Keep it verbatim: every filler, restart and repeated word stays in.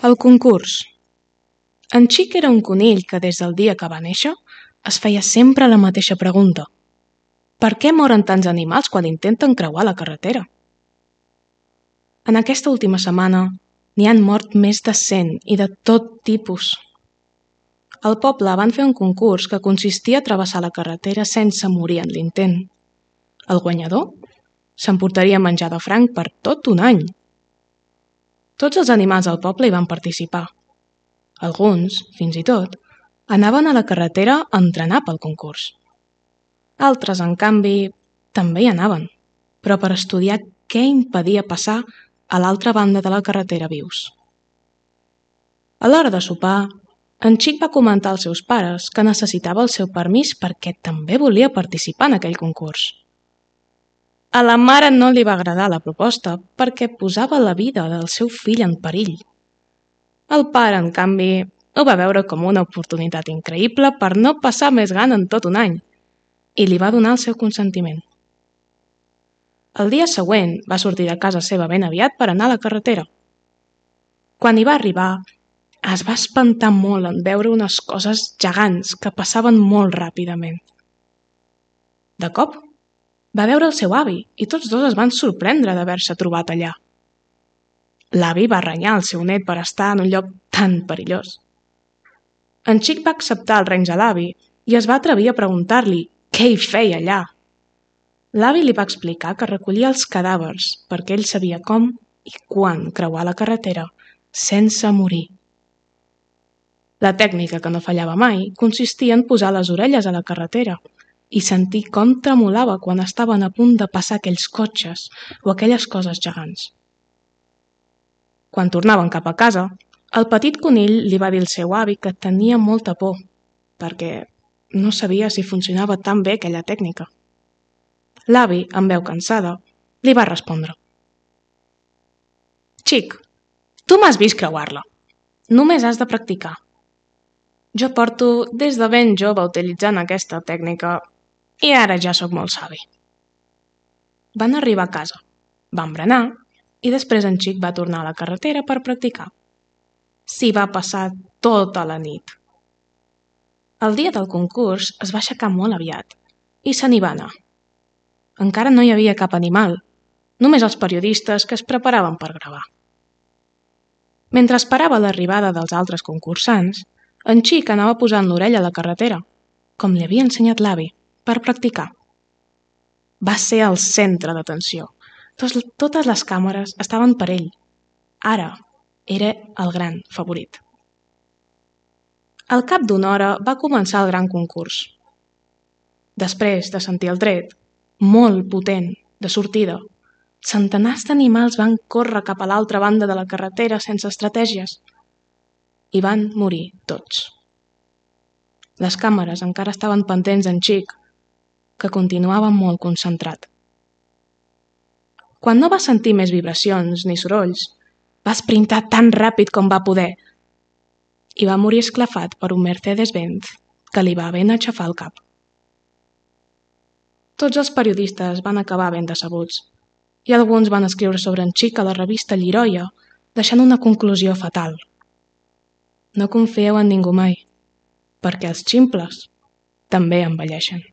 El concurs. En Xic era un conill que des del dia que va néixer es feia sempre la mateixa pregunta. Per què moren tants animals quan intenten creuar la carretera? En aquesta última setmana n'hi han mort més de cent i de tot tipus. Al poble van fer un concurs que consistia a travessar la carretera sense morir en l'intent. El guanyador s'emportaria menjar de franc per tot un any. Tots els animals del poble hi van participar. Alguns, fins i tot, anaven a la carretera a entrenar pel concurs. Altres, en canvi, també hi anaven, però per estudiar què impedia passar a l'altra banda de la carretera vius. A l'hora de sopar, en Xic va comentar als seus pares que necessitava el seu permís perquè també volia participar en aquell concurs. A la mare no li va agradar la proposta perquè posava la vida del seu fill en perill. El pare, en canvi, ho va veure com una oportunitat increïble per no passar més gana en tot un any i li va donar el seu consentiment. El dia següent va sortir de casa seva ben aviat per anar a la carretera. Quan hi va arribar, es va espantar molt en veure unes coses gegants que passaven molt ràpidament. De cop, va veure el seu avi i tots dos es van sorprendre d'haver-se trobat allà. L'avi va renyar el seu net per estar en un lloc tan perillós. En Xic va acceptar el renys de l'avi i es va atrevir a preguntar-li què hi feia allà. L'avi li va explicar que recollia els cadàvers perquè ell sabia com i quan creuar la carretera sense morir. La tècnica que no fallava mai consistia en posar les orelles a la carretera i sentir com tremolava quan estaven a punt de passar aquells cotxes o aquelles coses gegants. Quan tornaven cap a casa, el petit conill li va dir al seu avi que tenia molta por, perquè no sabia si funcionava tan bé aquella tècnica. L'avi, amb veu cansada, li va respondre: «Xic, tu m'has vist creuar-la. Només has de practicar. Jo porto des de ben jove utilitzant aquesta tècnica i ara ja sóc molt savi». Van arribar a casa, van berenar i després en Xic va tornar a la carretera per practicar. S'hi va passar tota la nit. El dia del concurs es va aixecar molt aviat i se n'hi va anar. Encara no hi havia cap animal, només els periodistes que es preparaven per gravar. Mentre esperava l'arribada dels altres concursants, en Xic anava posant l'orella a la carretera, com li havia ensenyat l'avi, per practicar. Va ser el centre d'atenció. Totes les càmeres estaven per ell. Ara era el gran favorit. Al cap d'una hora va començar el gran concurs. Després de sentir el tret, molt potent, de sortida, centenars d'animals van córrer cap a l'altra banda de la carretera sense estratègies i van morir tots. Les càmeres encara estaven pendents d'en Xic, que continuava molt concentrat. Quan no va sentir més vibracions ni sorolls, va esprintar tan ràpid com va poder i va morir esclafat per un Mercedes-Benz que li va ben aixafar el cap. Tots els periodistes van acabar ben decebuts i alguns van escriure sobre en Xic a la revista Lliroia, deixant una conclusió fatal. No confieu en ningú mai, perquè els ximples també envelleixen.